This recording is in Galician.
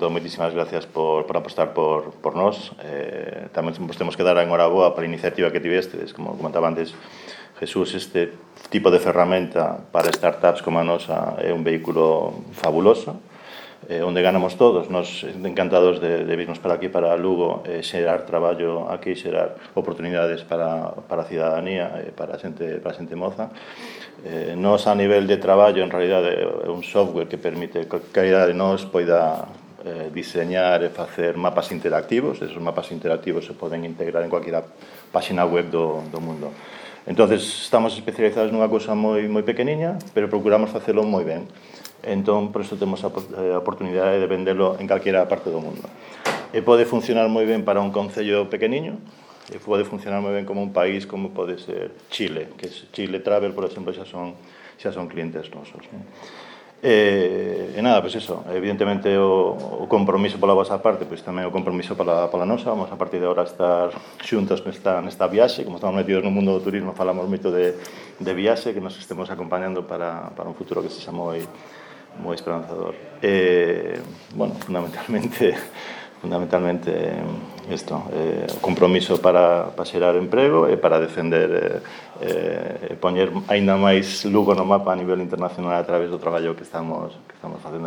todo, moitísimas gracias por apostar por nós. Tamén vos temos que dar a enhoraboa para a iniciativa que tivestes, como comentaba antes Jesús, este tipo de ferramenta para startups como a nosa é un vehículo fabuloso, onde ganamos todos. Nos encantados de virnos para aquí, para Lugo, xerar traballo aquí, xerar oportunidades para a cidadanía, para a xente moza. Nos, a nivel de traballo, en realidade, é un software que permite que calidade de nós poida diseñar e facer mapas interactivos. Esos mapas interactivos se poden integrar en cualquiera página web do mundo. Entonces, estamos especializados nunha cousa moi pequeniña, pero procuramos facelo moi ben. Entón, por iso temos a oportunidade de vendelo en calquera parte do mundo. E pode funcionar moi ben para un concello pequeniño, e pode funcionar moi ben como un país como pode ser Chile, que Chile Travel, por exemplo, xa son clientes nosos. E nada, pois eso, evidentemente o compromiso pola vosa parte, pois tamén o compromiso pola nosa. Vamos a partir de agora estar xuntos nesta viaxe. Como estamos metidos no mundo do turismo, falamos moito de viaxe, que nos estemos acompañando para un futuro que sexa moi esperanzador. Bueno, fundamentalmente isto, o compromiso para xerar emprego e para defender e poñer aínda máis Lugo no mapa a nivel internacional a través do traballo que estamos facendo.